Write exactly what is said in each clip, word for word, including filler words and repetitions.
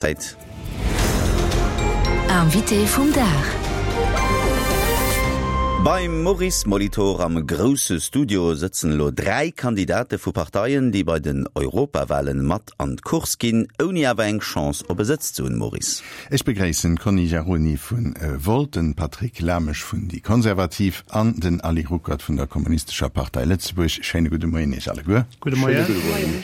Zäit. Invité vum Dag. Beim Maurice Molitor am grousse Studio sëtzen elo dräi Kandidate vu Parteien, déi bei den Europawalen mat an d'Course ginn, ouni awer eng Chance op e Sëtz ze hunn. Maurice. Ech begréissen d'Conny Jaroni vun Volt, den Patrick Lamesch vun déi Konservativ an den Ali Ruckert vun der Kommunistescher Partei Lëtzebuerg. Schéine gudde Moien Iech alleguer. Gudde Moien.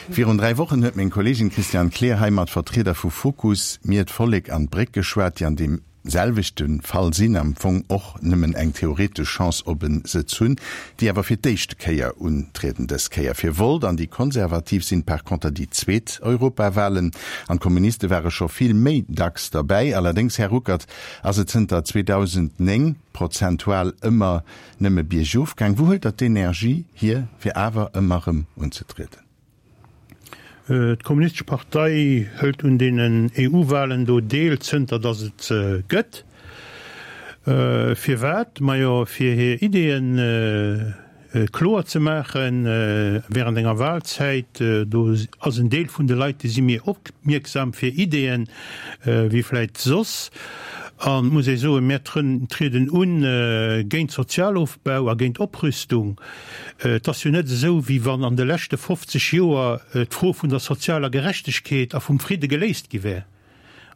Virun dräi Wochen huet meng Kolleegin Christiane Kleer hei mat Vertrieder vu Fokus, Mir, d'Vollek an d'Bréck geschwat, déi an deem selwechte Fall sinn, am Fong och nëmmen eng theoretesch Chance op e Sëtz hunn, déi awer fir d'éischte Kéier untrieden. Dës Kéier fir Volt an déi Konservativ sinn par conter déi zweet Europawalen an d'Kommuniste ware scho vill méi dacks derbäi. Allerdéngs, Här Ruckert, ass et zënter zweedausendnéng prozentual ëmmer nëmme biergof gaang. Wou huelt Der d'Energie hier, fir awer ëmmer erëm unzetrieden? D'Kommunistesch Partei hëlt un deenen E U-Walen do deel, zënter datt et se gëtt. Firwat? Majo, fir hir Ideeën kloer ze maachen während enger Wahlzäit. Do ass en Deel vun de Leit, déi si méi opmierksam fir Ideeën wéi vläit soss. An et muss ee soen, mär trieden un géint Sozialofbau a géint Oprüstung. Et ass jo net esou, wéi wann an de leschte fofzeg Joer d'Fro vun der sozialer Gerechtegkeet a vum Fridde geléist gi wär.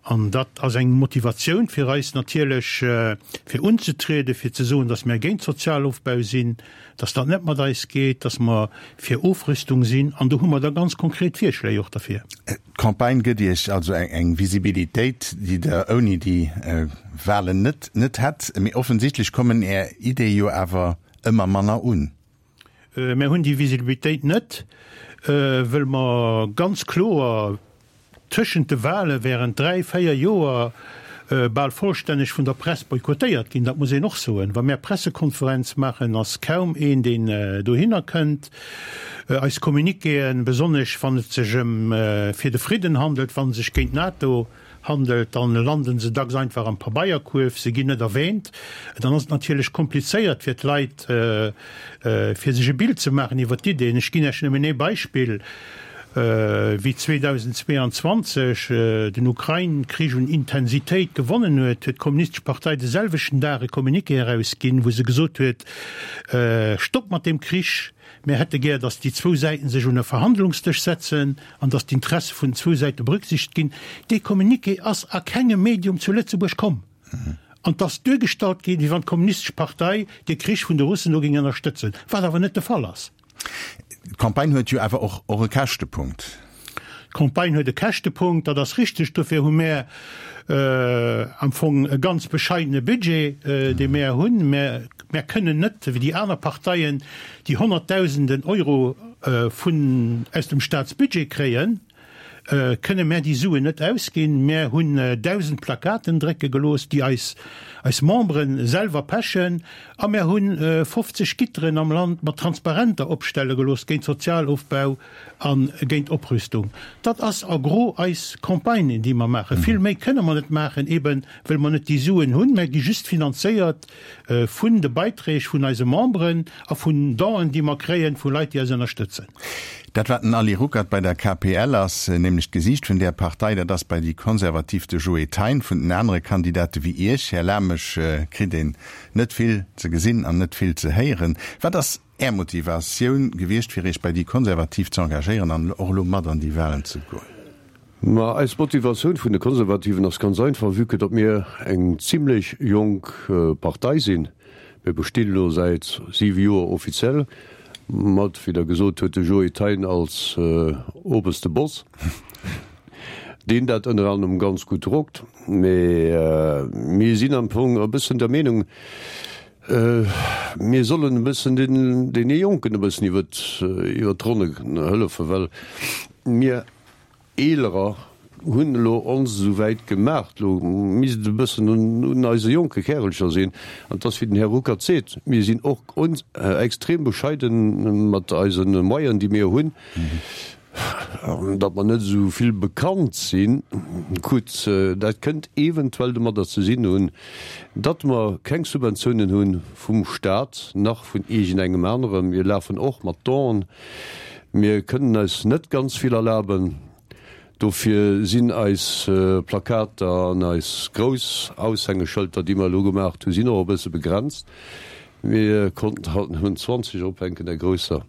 An dat ass eng Motivatioun fir eis natierlech, fir unzetrieden, fir ze soen, datt mär géint Sozialofbau sinn, datt dat net mat eis geet, datt mer fir Ofrüstung sinn. An do hu mer da ganz konkret Virschléi och derfir. D'Campagne gëtt Iech also eng Visibilitéit, déi Der ouni déi Wahlen net net hätt. Mee offensichtlech kommen Är Ideeë jo awer ëmmer manner un. Mär hunn déi Visibilitéit net, wëll mer ganz kloer tëschent de Wahle während dräi, véier Joer bal vollstänneg vun der Press boykottéiert ginn. Dat muss een och soen. Wa mär Pressekonferenz maachen, ass kaum een, deen dohinner kënnt. Eis Communiquéen, besonnesch wann et sech ëm fir de Fridden handelt, wa sech géint d'NATO handelt, dann landen se dacks einfach am Pabeierkuerf, se ginn net erwähnt. Dann ass et natierlech komplizéiert fir d'Leit, fir sech e Bild ze maachen iwwer d'Ideen. Ech ginn Iech nëmmen ee Beispill. Wéi zweedausendzweeanzwanzeg den Ukrain-Krich un Intensitéit gewonnen huet, huet d'Kommunistesch Partei de selwechten Dag e Communiqué erausginn, wou se gesot huet, Stopp mat deem Krich, mir hätte gär, datt déi zwou Säiten sech un e Verhandlungsdësch setzen an datt d'Interesse vun den zwou Säite berücksichtegt ginn. Dee Communiqué ass a kengem Medium zu Lëtzebuerg komm. An 't ass duergestallt ginn, wéi wann d'Kommunistesch Partei dee Krich vun de Russen do géing ënnerstëtzen, wat awer net de Fall ass. D'Campagne huet jo awer och och e Käschtepunkt. D'Campagne huet e Käschtepunkt, dat ass richteg. Dofir hu mär am Fong e ganz bescheidene Budget, dee mär hunn. Mär, mär kënnen net, wéi déi aner Parteien, déi Honnertdausenden Euro vun, aus dem Staatsbudget kréien. Kënne mär déi Suen net ausginn. Mär hunn dausend Plakaten drécke gelooss, déi eis eis Membere selwer pechen, a mär hu fofzeg Gitteren am Land mat Transparenter opstelle gelooss géint Sozialofbau a géint Oprüstung. Dat ass a gros eis Campagne, déi mer maachen. Vill méi kënne mer net maachen, eeben wëll mer net déi Suen hunn. Mär gi just finanzéiert vun de Beiträg vun eise Memberen a vun Donen, déi mer kréien vu Leit, déi eis ënnerstëtzen. Dat wat den Ali Ruckert bei der K P L ass, nämlech d'Gesiicht vun där Partei, dat ass bei déi Konservativ de Joe Thein. Vun den anere Kandidate wéi Iech, Här Lamesch, kritt een net vill ze gesinn an net vill ze héieren. Wat ass Är Motivatioun gewiescht, fir Iech bei déi Konservativ ze engagéieren an och elo mat an déi Wahlen ze goen? Ma eis Motivatioun vun de Konservativen ass ganz einfach, vue que datt mir eng zimlech jonk Partei sinn. Mir bestinn elo säit siwe Joer offiziell, mat, wéi Der gesot huet, de Joe Thein als oberste Boss, deen dat ënner anerem ganz gutt rockt. Mee mir sinn am Fong e bëssen der Meenung, mir sollen e bëssen deene Jonken e bëssen iwwer d'Ronne hëllefen, well mir Eelerer hunn elo ons esou wäit gemaach, elo misst et e bëssen un eise jonke Kärelcher sinn. An et ass, wéi den Här Ruckert seet, mir sinn och extrem bescheiden mat eise Moyen, déi mir hunn, datt mer net esou vill bekannt sinn. Gutt, dat kënnt eventuell domadder ze sinn hunn, datt mer keng Subventiounen hu vum Stat nach vun iergendengem anerem. Mir lafen och mat Donen. Mir kënnen eis net ganz vill erlaben. Dofir sinn eis Plakater an eis grouss Aushängeschëlter, déi mer elo gemaacht hunn, sinn och e bësse begrenzt. Mir konnten halt nëmmen zwanzeg ophänken, där grousser.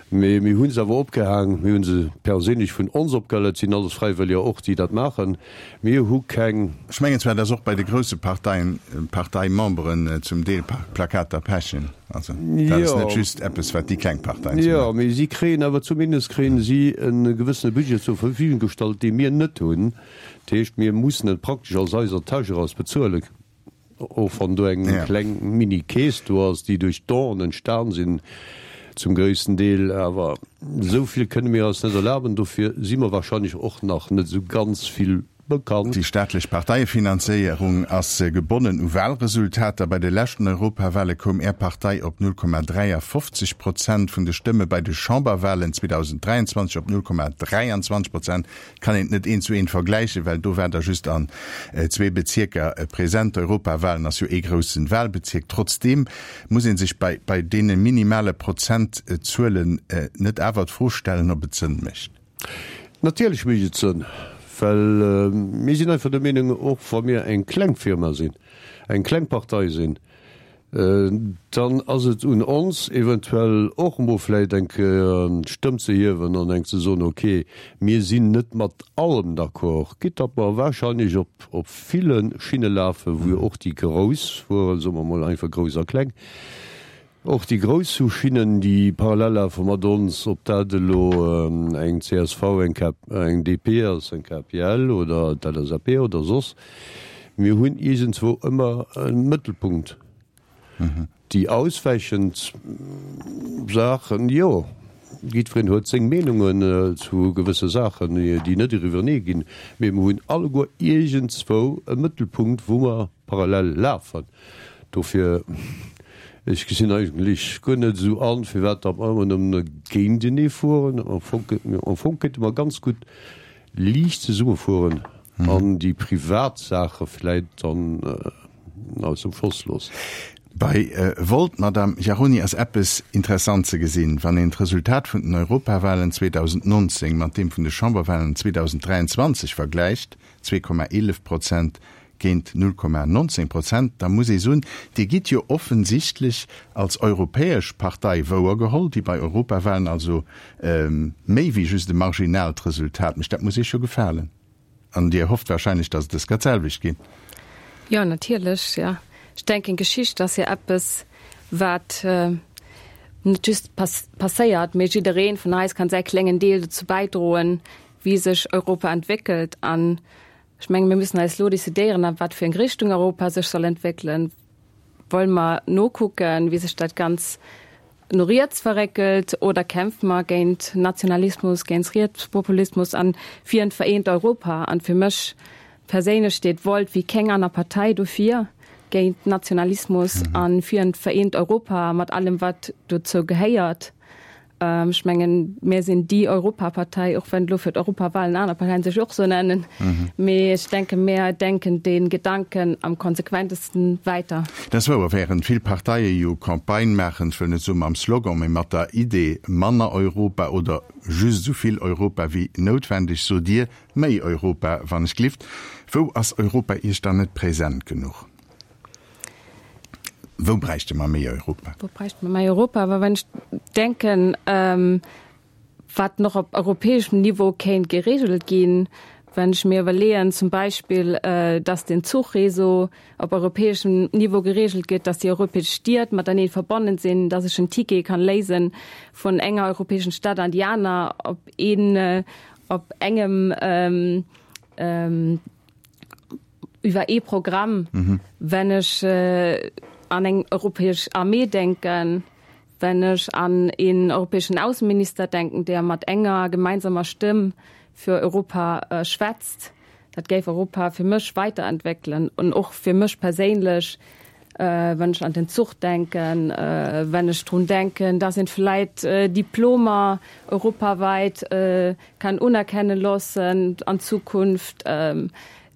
Mee mir hu se awer opgehaang. Mir hu se perséinlech vun ons opgehal. Et sinn alles Fräiwëlleger och, déi dat maachen. Mir hu keng. Ech mengen zwar, dass och bei de grousse Parteien d'Parteimemberen zum Deel Plakater pechen. Also dat ass net just eppes, wat déi kleng Parteien ze Jo, mee si kréien awer, zumindest kréien si e gewëssene Budget zur Verfügung gestallt, dee mir net hunn. Dat heescht, mir mussen et praktesch aus eiser Täsch eraus bezuelen, och wann do eng kleng Mini-Keess do ass, déi duerch Donen entstan sinn zum gréissten Deel. Awer esou vill kënne mir eis net erlaben. Dofir si mer wahrscheinlech och nach net esou ganz vill bekannt. Déi staatlech Parteiefinanzéierung ass gebonnen u Walresultater. Bei de leschten Europawale koum Är Partei op null Komma dräiafofzeg Prozent vun de Stëmme, bei de Chamberwalen zweedausenddräianzwanzeg op null Komma dräianzwanzeg Prozent. Kann een et net eent zu eent vergläichen, well do waart Der just an zwee Bezierker present. D'Europawalen ass jo ee groussen Walbezierk. Trotzdeem muss ee sech bei bei deene minimale Prozentzuelen net awer d'Fro stellen, ob et Sënn mécht. Natierlech mécht et Sënn, well mir sinn einfach der Meenung, och wa mir eng kleng Firma sinn, eng kleng Partei sinn, dann ass et un ons eventuell och emol vläicht eng Kéier d'Stëmm ze hiewen an eng ze soen, okay, mir sinn net mat allem d'accord, quitte datt mer wahrscheinlech op op ville Schinne lafen, wou jo och déi Grouss fueren, soe mer emol einfach grouss a kleng, Och déi grouss hu Schinnen, déi parallel lafe mat ons, ob dat elo eng C S V, eng D P ass, eng K P L oder d'L S A P oder soss. Mir hunn iergendzwou ëmmer e Mëttelpunkt. Déi auswäichend Saachen, jo, jiddwereen huet seng Meenungen zu gewësse Saachen, déi net eriwwernee ginn, mee mer hunn alleguer iergendzwou e Mëttelpunkt, wou mer parallel lafen. Dofir, ech gesinn eigentlech guer net esou an, firwat datt mer ëmmer nëmmen géintenee fueren. Am Fong, am Fong kéinte mer ganz gutt liicht zesumme fueren an déi privat Saache vläit dann aus dem Schoss loossen. Bei Volt, Madame Jaroni, ass eppes interessant ze gesinn, wann een d'Resultat vun den Europawahlen zweedausendnonzéng mat deem vun de Chamberwahlen zweedausenddräianzwanzeg vergläicht, zwee Komma eelef Prozent géint null Komma nonzéng Prozent, da muss ee soen, Dir gitt jo offensichtlech als europäesch Partei wouergeholl, déi bei Europawahlen also méi wéi just e marginaalt Resultat mécht. Dat muss Iech jo gefalen. An Dir hofft wahrscheinlech, datt et dës Kéier d'selwecht geet. Jo, natierlech, jo. Ech denken, Geschicht ass jo eppes, wat net just passéiert, mee jiddereen vun eis kann säi klengen Deel dozou bäidroen, wéi sech Europa entwéckelt. An ech mengen, mir müssen eis elo decidéieren, a wat fir eng Richtung Europa sech soll entwéckelen. Wolle mer nokucken, wéi sech dat Ganz no riets verréckelt, oder kämpfe mer géint Nationalismus, géint Rietspopulismus an fir en vereent Europa? An fir mech perséinlech steet Volt wéi keng aner Partei dofir, géint Nationalismus an fir en vereent Europa mat allem, wat dozou gehéiert. Ech mengen, mir sinn déi Europapartei, och wann elo fir d'Europawahlen aner Parteien sech och esou nennen. Mee ech denken, mir denken dee Gedanken am konsequentesten weiter. Dat ass wouer, während vill Parteie jo Campagne maachen, ech wëll net soe mam Slogan, mee mat der Idee manner Europa oder just esou vill Europa wéi noutwendeg, sot Dir méi Europa, wann ech glift. Wou ass Europa Iech dann net present genuch? Wou bräichte mer méi Europa? Wou bräichte mer méi Europa? Awer wann ech denken, wat nach op europäeschem Niveau kéint geregelt ginn, wann ech mir iwwerleeën zum Beispill, dass den Zuchréseau op europäeschem Niveau geregelt gëtt, dass déi europäesch Stied matenee verbonnen sinn, dass ech en Ticket kann léisen vun enger europäeschen Stad an déi aner op een, op engem iwwer ee Programm. Wenn ech an eng europäesch Armee denken, wenn ech an een europäeschen Ausseminister denken, der mat enger gemeinsamer Stëmm fir Europa schwätzt, dat géif Europa fir mech weiterentwéckelen an och fir mech perséinlech, wann ech an den Zuch denken, wenn ech drun denken, dass een vläit Diplomer europaweit kann unerkennen loossen an Zukunft.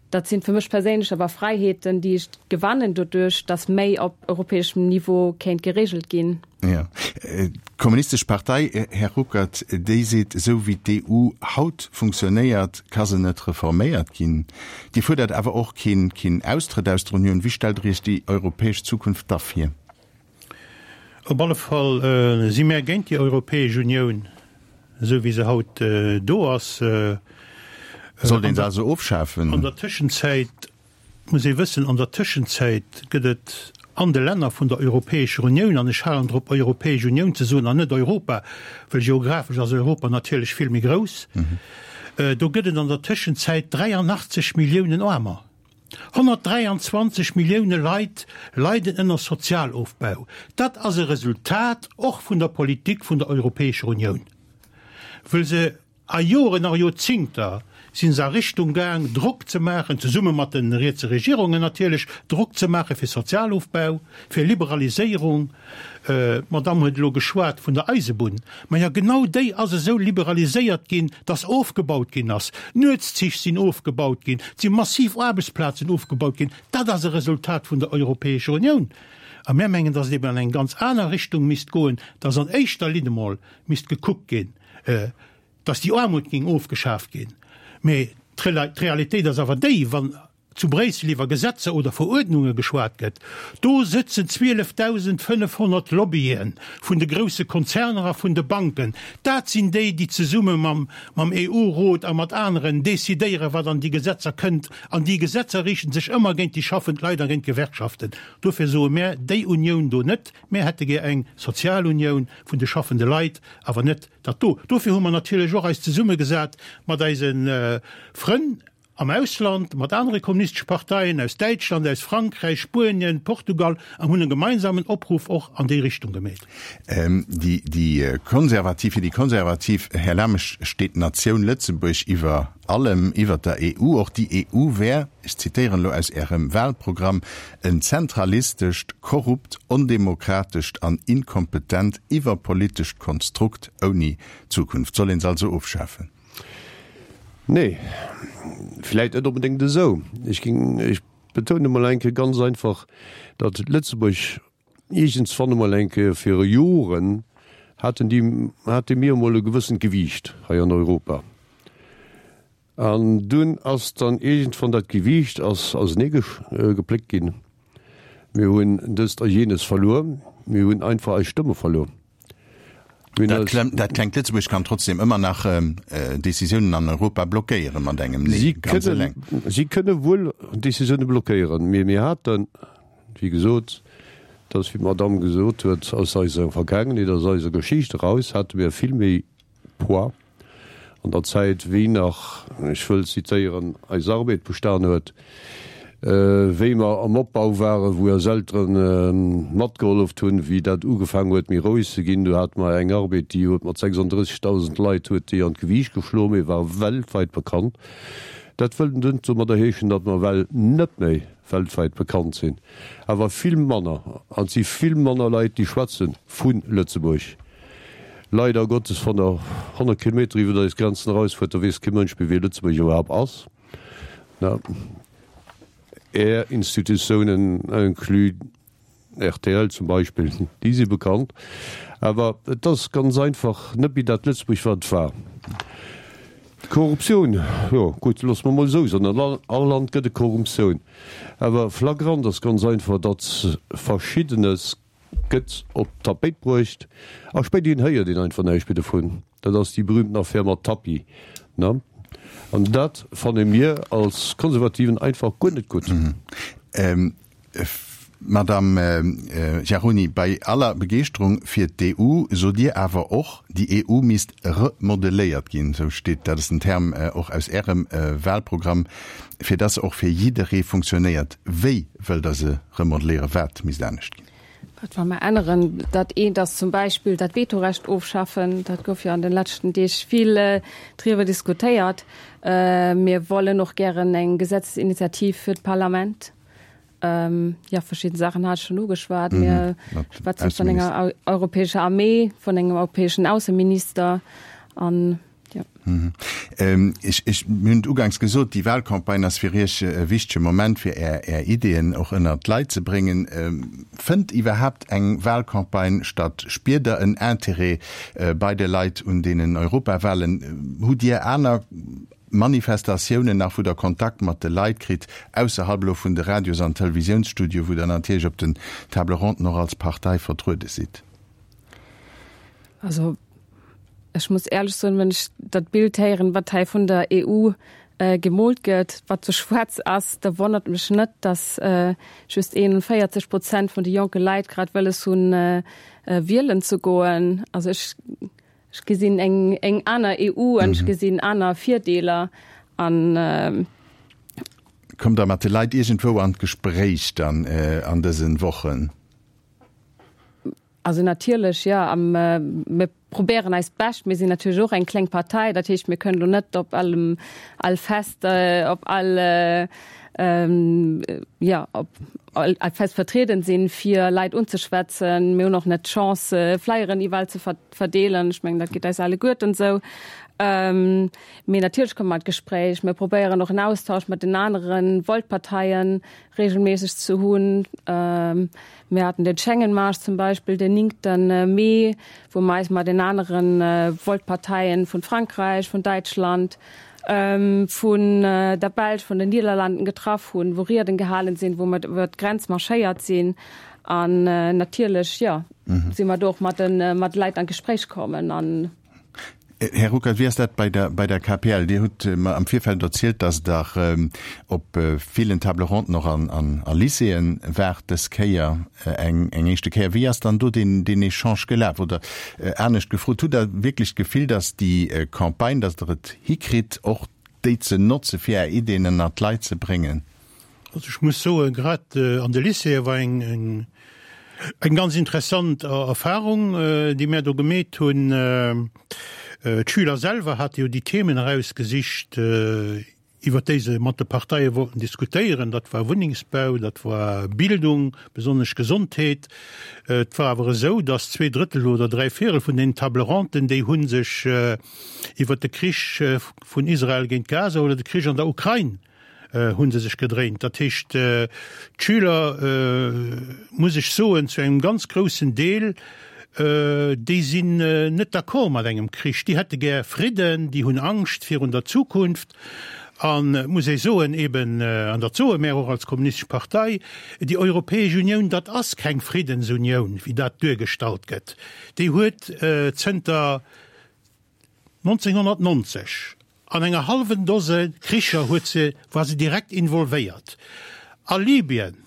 Dat sinn fir mech perséinlech awer Fräiheeten, déi ech gewannen doduerch, dass méi op europäeschem Niveau kéint geregelt ginn. Jo. D'Kommunistesch Partei, Här Ruckert, déi seet, esou wéi d'EU haut funktionéiert, ka se net reforméiert ginn. Dir fuerdert awer och keen, keen Austrëtt aus der Unioun. Wéi stellt Der Iech déi europäesch Zukunft da vir? Op alle Fall si mär géint déi Europäesch Unioun, esou wéi se haut do ass. Sollt een se also ofschafen? An der Tëschenzäit muss ee wëssen, an der Tëschenzäit gëtt et an de Länner vun der Europäescher Unioun, an ech halen drop Europäesch Unioun ze soen an net Europa, well geographesch ass Europa natierlech vill méi grouss, do gëtt et an der Tëschenzäit dräianachtzeg Milliounen Aarmer. Honnertdräianzwanzeg Millioune Leit leiden ënner Sozialofbau. Dat ass e Resultat och vun der Politik vun der Europäescher Unioun, wëll se a Joren a Joerzingter si se a Richtung gaang, Drock ze maachen, zesumme mat de rietse Regierungen natierlech, Drock ze maache fir Sozialofbau, fir Liberaliséierung. D'Madamm huet elo geschwat vun der Eisebunn. Maja, genau déi ass esou liberaliséiert ginn, dass ofgebaut ginn ass. Nuetszich sinn ofgebaut ginn, et si massiv Aarbechtsplazen ofgebaut ginn. Dat ass e Resultat vun der Europäescher Unioun. A mär mengen, dass et eben an eng ganz aner Richtung misst goen, dass an éischter Linn emol misst gekuckt ginn, dass déi Aarmut géing ofgeschaaft ginn. Mee d'Realitéit ass awer déi, wann zu Bréissel iwwer Gesetzer oder Veruerdnunge geschwat gëtt, do sëtzen zwielefdausendfënnefhonnert Lobbye vun de grousse Konzerner a vun de Banken. Dat sinn déi, déi zesumme mam mam EU-Rot a mat aneren decidéieren, wat an déi Gesetzer kënnt. An déi Gesetzer riichten sech ëmmer géint déi schaffend Leit a géint d'Gewerkschaften. Dofir soe mär, déi Unioun do net. Mär hätte gär eng Sozialunioun vun de schaffende Leit, awer net dat do. Dofir hu mer natierlech och eis zesummegesat mat eise Frënn am Ausland, mat anere kommunistesche Parteien aus Däitschland, aus Frankräich, Spuenien, Portugal an hunn e gemeinsamen Opruff och an déi Richtung gemeet. Déi Konservativ, fir déi Konservativ, Här Lamesch, steet d'Natioun Lëtzebuerg iwwer allem, iwwer der E U. Och déi E U wär, ech zitéieren elo aus Ärem Wahlprogramm, en zentralistescht, korrupt, ondemokratescht an inkompetent iwwerpolitescht Konstrukt ouni Zukunft. Soll een se also ofschafen? Nee, vläit net onbedéngt esou. Ech ging, ech betoune mol eng Kéier ganz einfach, datt Lëtzebuerg iergendswann emol eng Kéier viru Joren haten déi, hate mir emol e gewëssent Gewiicht hei an Europa. An dunn ass dann iergendwann dat Gewiicht ass ausenee gepléckt ginn. Mir hunn dëst a jenes verluer. Mir hunn einfach eis Stëmme verluer. Dat dat klengt Lëtzebuerg kann trotzdem ëmmer nach Decisiounen an Europa blockéiere mat engem Nee ganz eleng. Si kënne wuel Decisioune blockéieren, mee mir haten, wéi gesot, dat ass wéi d'Madamm gesot huet, aus eiser Vergaangenheet, aus eiser Geschicht eraus hate mir vill méi Poids an der Zäit, wéi nach, ech wëll zitéieren, eis Arbed bestan huet, wéi mer am Opbau waren, wou eis Eltere matgeholleft hunn, wéi dat ugefaangen huet méi roueg ze ginn, do hate mer eng Arbed, déi huet mat sechsunddrëssigtausend Leit huet déi an d'Gewiicht geschloen, mee war weltwäit bekannt. Dat wëllt net domadder heeschen, datt mer ewell net méi weltwäit bekannt sinn, awer vill manner, an et si vill manner Leit, déi schwätze vu Lëtzebuerg. Leider Gottes, wann Der honnert Kilometer iwwer eis Grenzen erausfuert, da weess kee Mënsch méi, wéi Lëtzebuerg iwwerhaapt ass. Är Institutiounen, inclus R T L zum Beispill, déi si bekannt. Awer et ass ganz einfach net méi dat Lëtzebuerg, wat et war. D'Korruptioun, jo gutt, loosse mer emol esou soen, an all Land gëtt et Korruptioun. Awer flagrant ass ganz einfach, datt Verschiddenes gëtt op d'Tapéit bruecht a spéiderhin héiert een einfach näischt méi dovun. Dat ass déi berühmten Affär mat Tapie, ne? An dat fanne mir als Konservativen einfach guer net gutt. Madame Giaroni, bei aller Begeeschterung fir d'E U sot Dir awer och, déi E U misst remodeléiert ginn, esou steet, dat ass den Term och aus Ärem Wahlprogramm, fir dass se och fir jidderee funktionéiert. Wéi wëllt Der se remodeléieren? Wat misst anescht ginn? Wat wëlle mer änneren? Dat eent ass zum Beispill dat Vetorecht ofschaffen. Dat gouf jo an de leschten Deeg vill driwwer diskutéiert. Mir wollen och gären eng Gesetzesinitiativ fir d'Parlament. Jo, verschidden Saachen hat ech schonn ugeschwat. Mir schwätzen vun enger europäescher Armee, vun engem europäeschen Ausseminister an Jo. Ech, ech, mir hunn et uganks gesot, déi Wahlcampagne ass fir Iech e wichtege Moment, fir Är, Är Ideeën och ënnert d'Leit ze bréngen. Fënnt iwwerhaapt eng Wahlcampagne statt? Spiert Der en Interêt bei de Leit un deenen Europawahlen? Hutt Dir aner Manifestatiounen nach, wou Der Kontakt mat de Leit kritt, ausserhalb elo vun de Radios an Televisiounsstudioe, wou Der natierlech op den Table ronden och als Partei vertruede sidd? Also ech muss éierlech soen, wann ech dat Bild héieren, wat hei vun der E U gemoolt gëtt, wat sou schwaarz ass, da wonnert mech net, dass just eenundvéierzeg Prozent vun de jonke Leit grad wëlles hunn, wielen ze goen. Also ech ech gesinn eng eng aner E U an ech gesinn aner Virdeeler an. Kommt Der mat de Leit iergendwou an d'Gespréich dann an dësen Wochen? Also natierlech, jo. A mir probéieren eist Bescht. Mir sinn natierlech och eng kleng Partei, dat heescht, mir kënnen elo net op allem, all Fest, op all, jo, op all Fest vertrieden sinn, fir Leit unzeschwätzen. Mir hunn och net d'Chance, Flyeren iwwerall ze verdeelen. Ech mengen, dat geet eis alleguerten esou. Mee natierlech komme mer an d'Gespréich. Mir probéieren och en Austausch mat den anere Volt-Parteien regelméisseg ze hunn. Mir haten den Schengen-Marsch zum Beispill den néngte Mee, wou mer eis mat den anere Volt-Parteien vun Frankräich, vun Däitschland, vun der Belsch, vun den Niederlanden getraff hunn, wou Rieden gehalen sinn, wou mer iwwer d'Grenz marschéiert sinn. An natierlech, jo, si mer do och mat de mat de Leit an d'Gespréich kommen an. Här Ruckert, wéi ass dat bei der, bei der K P L? Dir hutt mer am Virfeld erzielt, datt Der op villen Table ronden och an, an a Lycéeën waart dës Kéier, eng, eng éischte Kéier. Wéi ass dann do deen, deen Echange gelaf? Oder anescht gefrot, hutt Der wierklech d'Gefill, datt déi Campagne, datt Der et hikritt, och déi ze notze fir Är Iddien ënnert d'Leit ze bréngen? Also ech muss soen, grad an de Lycéeë war eng, eng, eng ganz interessant Erfahrung, déi mär do gemeet hunn. D'Schüler selwer hate jo déi Themen erausgesicht, iwwer déi se mat de Parteie wollten diskutéieren. Dat war Wunnengsbau, dat war Bildung, besonnesch Gesondheet. Et war awer esou, datt zwee Drëttel oder dräi Véierel vun den Table ronden, déi hu sech iwwer de Krich vun Israel géint Gaza oder de Krich an der Ukrain hu se sech gedréint. Dat heescht, d'Schüler, muss ech soen, zu engem ganz groussen Deel, déi sinn net d'accord mat engem Krich, déi hätte gär Fridden, déi hunn Angscht virun der Zukunft. An et muss ee soen, eben, an dat soe mär och als Kommunistesch Partei, déi Europäesch Unioun, dat ass keng Friddensunioun, wéi dat duergestallt gëtt. Déi huet zënter nonzénghonnertnonzeg an enger hallwen Dose Kricher huet se, war se direkt involvéiert. A Libyen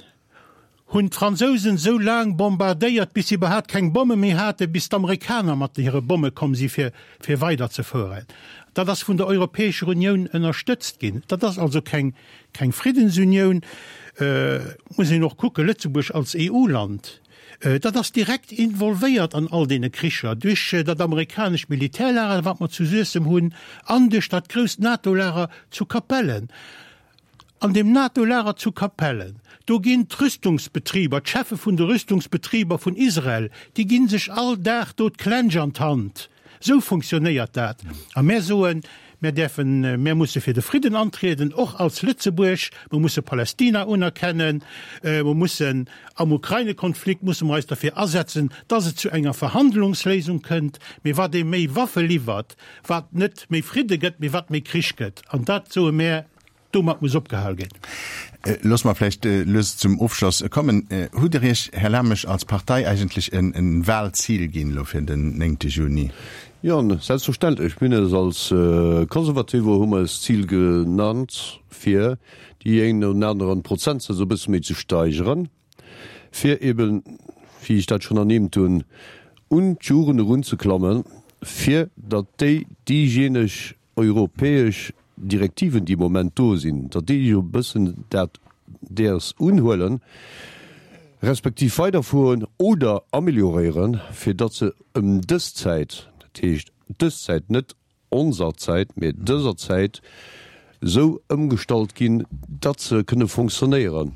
hunn d'Fransousen esou laang bombardéiert, bis si iwwerhaapt keng Bomme méi haten, bis d'Amerikaner mat hire Bomme komm si fir, fir weiderzefueren. Dat ass vun der Europäescher Unioun ënnerstëtzt ginn. Dat ass also keng, keng Friddensunioun. Muss een och kucken, Lëtzebuerg als E U-Land, dat ass direkt involvéiert an all deene Kricher, duerch dat amerikanescht Militärlager, wat mer zu Suessem hunn, an duerch dat grousst NATO-Lager zu Capellen. An deem NATO-Lager zu Capellen, do ginn d'Rüstungsbetriber, d'Cheffe vun de Rüstungsbetriber vun Israel, déi gi sech all Dag do d'Klensch an d'Hand. Esou funktionéiert dat. A mär soen, mär däerfen, mär musse fir de Fridden antrieden, och als Lëtzebuerg. Mer musse Palästina unerkennen. Mer mussen am Ukraine-Konflikt musse mer eis derfir asetzen, dass et zu enger Verhandlungsléisung kënnt. Mee wat ee méi Waffe liwwert, wat net méi Fridde gëtt, mee wat méi Krich gëtt. An dat soe mär, domat muss opgehal ginn. Loosse mer vläicht lues zum Ofschloss kommen. Hutt Der Iech, Här Lamesch, als Partei eigentlech e Wahlzil ginn elo fir den néngte Juni? Jo, selbstverständlech. Mir hunn eis als Konservative hu mer eis d'Zil genannt, fir déi een oder aneren Prozentsaz e bësse méi ze steigeren, fir eben, wéi ech dat schonn ernimmt hunn, un d'Jugend erunzeklammen, fir datt déi déijéineg europäesch Direktiven, déi am Moment do sinn, datt déi jo e bëssen dat däers unhuelen, respektiv weiderfueren oder amélioréieren, fir datt se ëm dës Zäit, dat heescht dës Zäit, net onser Zäit, mee dëser Zäit, esou ëmgestallt ginn, datt se kënne fonctionnéieren.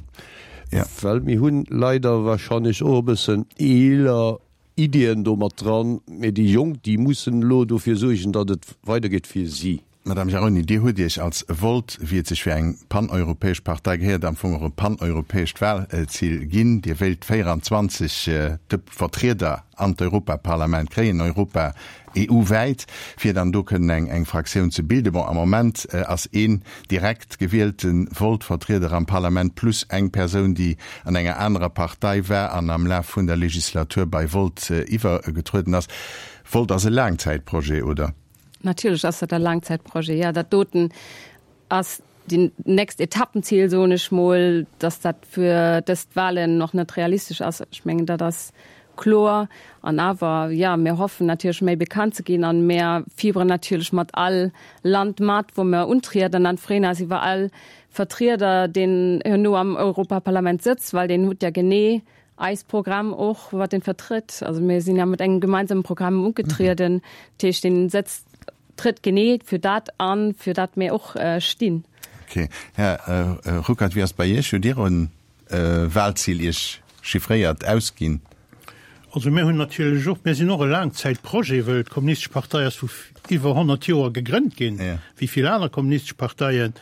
Well mir hunn leider wahrscheinlech och e bëssen eeler Ideeën do mat dran, mee déi Jonk, déi mussen elo dofir suergen, datt et weidergeet fir si. Madame Jaroni, Dir hutt Iech als Volt, wéi et sech fir eng paneuropäesch Partei gehéiert, am Fong och e paneuropäescht Wahlzil ginn. Dir wéilt véieranzwanzeg Vertrieder an d'Europaparlament kréien, Europa E U-wäit, fir dann do kënnen eng eng Fraktioun ze bilden. Bon, am Moment ass een direkt gewielte Volt-Vertrieder am Parlament plus eng Persoun, déi an enger anerer Partei war an am Laf vun der Legislatur bei Volt iwwergetrueden ass. Volt ass e Laangzäitprojet, oder? Natierlech ass dat e Laangzäitprojet, jo. Dat doten ass déi nächst Etappenzil, soen ech mol, dass dat fir dës Wahlen nach net realistesch ass. Ech mengen, dat ass kloer. An awer, jo, mir hoffen natierlech méi bekannt ze ginn an mir fieberen natierlech mat all Land mat, wou mir untrieden an freeën eis iwwer all Vertrieder, deen herno am Europaparlament sëtzt, well deen huet ja genee eis Programm och, wat deen vertrëtt. Also mir sinn ja mat engem gemeinsame Programm ugetrieden, dat heescht, deen sëtzt, trëtt genee fir dat an, fir dat mir och stinn. Ok. Här Ruckert, wéi ass et bei Iech? Hutt Dir e Wahlzil Iech chiffréiert ausginn? Also mir hunn natierlech och, mir sinn och e Laangzäitprojet, wëll d'Kommunistesch Partei ass vu iwwer honnert Joer gegrënnt ginn, wéi vill aner kommunistesch Parteien.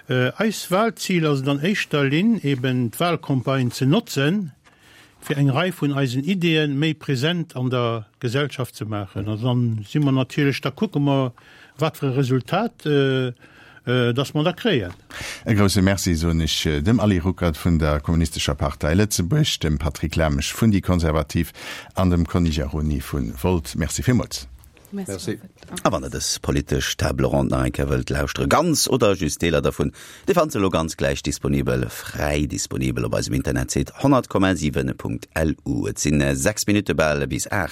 Eis Wahlzil ass et an éischter Linn eben d'Wahlcampagne ze notzen, fir eng Rei vun eisen Ideeën méi present an der Gesellschaft ze maachen. An dann si mer natierlech, da kucke mer, wat fir e Resultat dass mer da kréien. E grousse Merci soen ech dem Ali Ruckert vun der Kommunistescher Partei Lëtzebuerg, dem Patrick Lamesch vun déi Konservativ an dem Conny Jaroni vu Volt. Merci villmools. Merci. A wann der dës politesch Table ronde nach eng Kéier wëllt lauschtere, ganz oder just Deeler dervun, Dir fannt se elo ganz gläich disponibel, fräi disponibel op eisem Internetsite honnert Komma siwen Punkt L U. Et sinn sechs Minutte bal bis aacht.